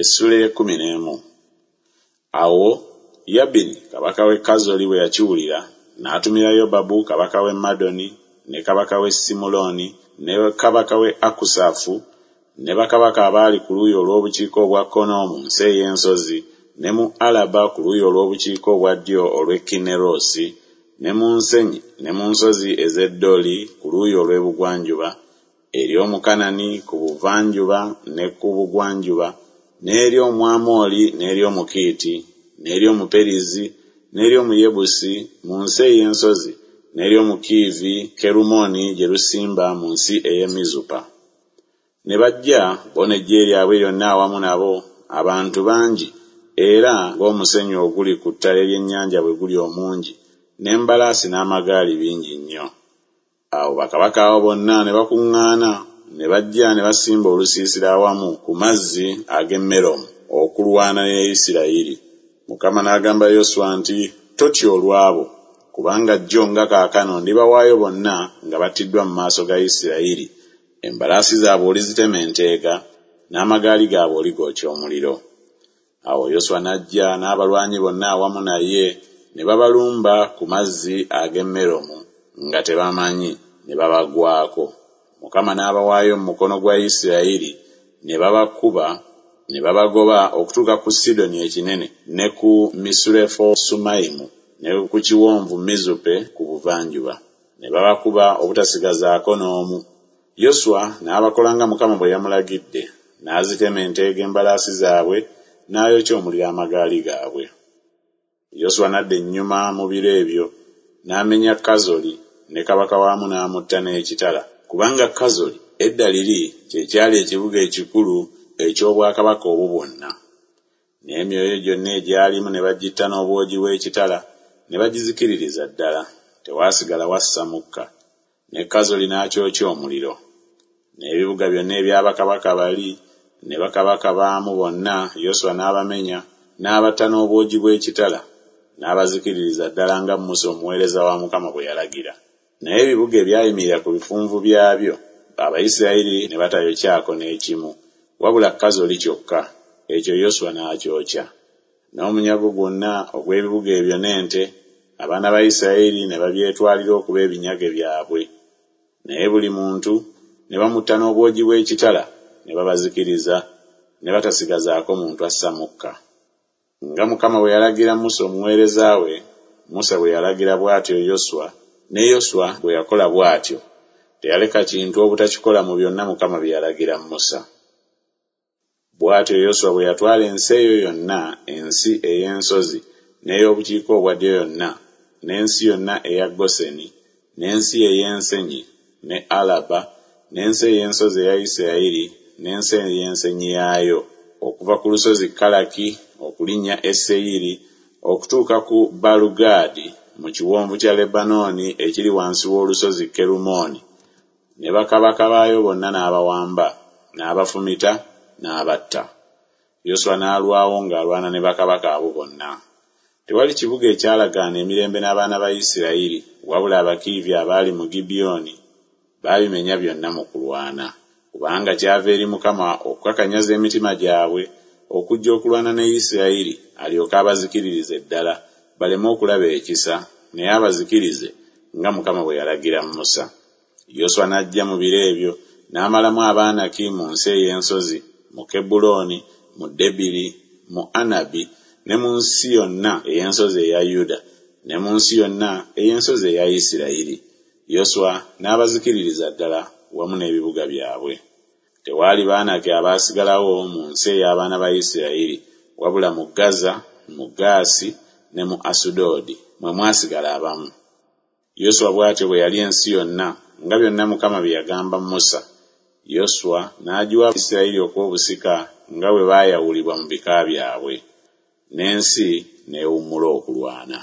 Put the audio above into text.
Essuula ey'ekkumi n'emu. Awo Yabini kabaka w'e Kazoli bwe yakiwulira, n'atumira Yobabu kabaka w'e Madoni, ne kabaka w'e Simuloni, ne kabaka w'e Akusafu, ne bakabaka abaali ku luuyi olw'obukiika obwa kkono mu nsi ey'ensozi, ne mu Alaba ku luuyi olw'obukiika obwa ddyo olw'e Kinnerosi, ne mu nsenyi ne mu nsozi ez'e Doli ku luuyi olw'ebugwanjuba, eri Omukanani ku buvanjuba ne ku bugwanjuba, n'eri Omwamoli n'eri Omukiiti, n'eri Omuperizi n'eri Omuyebusi mu nsi ey'ensozi, n'eri Omukiivi Kerumooni gye lusimba mu nsi ey'e Mizupa. Ne bajja bo n'eggye lyabwe lyonna awamu nabo, abantu bangi, era ng'omusenyu oguli ku ttale ly'ennyanja bwe guli omungi, n'embalaasi n'amagaali bingi nnyo. Awo bakabaka abo bonna ne bakuŋŋaana, ne bajja ne basimba olusiisira awamu ku mazzi ag'e Meromu okulwana ne Isirayiri. Mukama n'agamba Yoswa nti, Totya olw'abo, kubanga jjo nga kaakano ndibawaayo bonna nga battiddwa mu maaso ga Isirayiri, embalaasi zaabwe olizitema enteega, n'amagaali gaabwe oligookya omuliro. Awo Yoswa n'ajja n'abalwanyi bonna awamu naye ne babalumba ku mazzi ag'e Meromu nga tebamanyi, ne babagwako. Mukama n'abawaayo mu mukono gwa Isirayiri, ne babakuba ne babagoba okutuuka ku Sidoni ekinene ne ku Misurefosumayimu ne ku kiwonvu Mizupe ku buvanjuba. Ne babakuba obutasigazaako n'omu. Yoswa n'abakola nga Mukama bwe yamulagidde, n'azitema enteega embalaasi zaabwe, n'ayokya omuliro amagaali gaabwe. Yoswa n'adda ennyuma mu biro ebyo, n'amenya Kazoli, ne kabaka waamu n'amutta n'ekitala, kubanga Kazoli edda liri kye kyali ekibuga ekikulu eky'obwakabaka obwo bwonna. N'emyoyo gyonna egyalimu ne bagitta n'obwogi bw'ekitala, ne bagizikiririza ddala, tewaasigala wassa mukka. Ne Kazoli n'akyokya omuliro. N'ebibuga byonna ebya bakabaka bali ne bakabaka baamu bonna Yoswa n'abamenya, n'abatta n'obwogi bw'ekitala, n'abazikiririza ddala nga Musa omuweereza wa Mukama bwe yalagira. Naye ebibuga ebyayimirira ku bifunvu byabyo, Abayisirayiri ne batayokyako n'ekimu, wabula Kazoli kyokka, ekyo Yoswa n'akyokya. N'omunyago gwonna ogw'ebibuga ebyo n'ente, abaana ba Isirayiri ne babyetwalira okuba ebinyage byabwe. Naye buli muntu ne bamutta n'obwogi bw'ekitala, ne babazikiriza, ne batasigazaako muntu assa mukka. Nga Mukama bwe yalagira Musa omuweereza we, Musa bwe yalagira bw'atyo Yoswa, ne Yoswa bwe yakola bw'atyo, teyaleka kintu obutakikola mu byonna Mukama bye yalagira Musa. Bw'atyo Yoswa bwe yatwala ensi eyo yonna, ensi ey'ensozi, n'ey'obukiika obwa ddyo yonna, n'ensi yonna eya Goseni, n'ensi ey'ensenyi, ne Alaba, n'ensi ey'ensozi eya Isirayiri, n'ensi ey'ensenyi yaayo, okuva ku lusozi Kalaki okulinnya e Seyiri, okutuuka ku Baalugaadi mu kiwonvu kya Lebanooni ekiri wansi w'olusozi Kerumooni, ne bakabaka baayo bonna n'abawamba, n'abafumita, n'abatta. Yoswa n'alwawo ng'alwana ne bakabaka abo bonna. Tewali kibuga ekyalagaana emirembe n'abaana ba Isirayiri, wabula Abakiivi abaali mu Gibyoni baabimenya byonna mu kulwana. Kubanga kyava eri Mukama okukakanyaza emitima gyabwe okujja okulwana ne Isirayiri, alyoke abazikiririze ddala, baleme okulaba ekisa, naye abazikirize, nga Mukama bwe yalagira Musa. Yoswa n'ajja mu biro ebyo, n'amalamu Abaanaki mu nsi ey'ensozi, mu Kebbulooni, mu Debiri, mu Anabi, ne mu nsi yonna ey'ensozi eya Yuda, ne mu nsi yonna ey'ensozi eya Isirayiri. Yoswa n'abazikiririza ddala wamu n'ebibuga byabwe. Tewaali Baanaki abaasigalawo mu nsi ey'abaana ba Isirayiri, wabula mu Gaza, mu Gaasi ne mu Asudodi mwe mwasigala abamu. Yoswa bw'atyo bwe yalya ensi yonna, nga byonna Mukama bye yagamba Musa. Yoswa n'agiwa Isirayiri okuba obusika nga bwe baayawulibwa mu bika byabwe. N'ensi n'ewummula okulwana.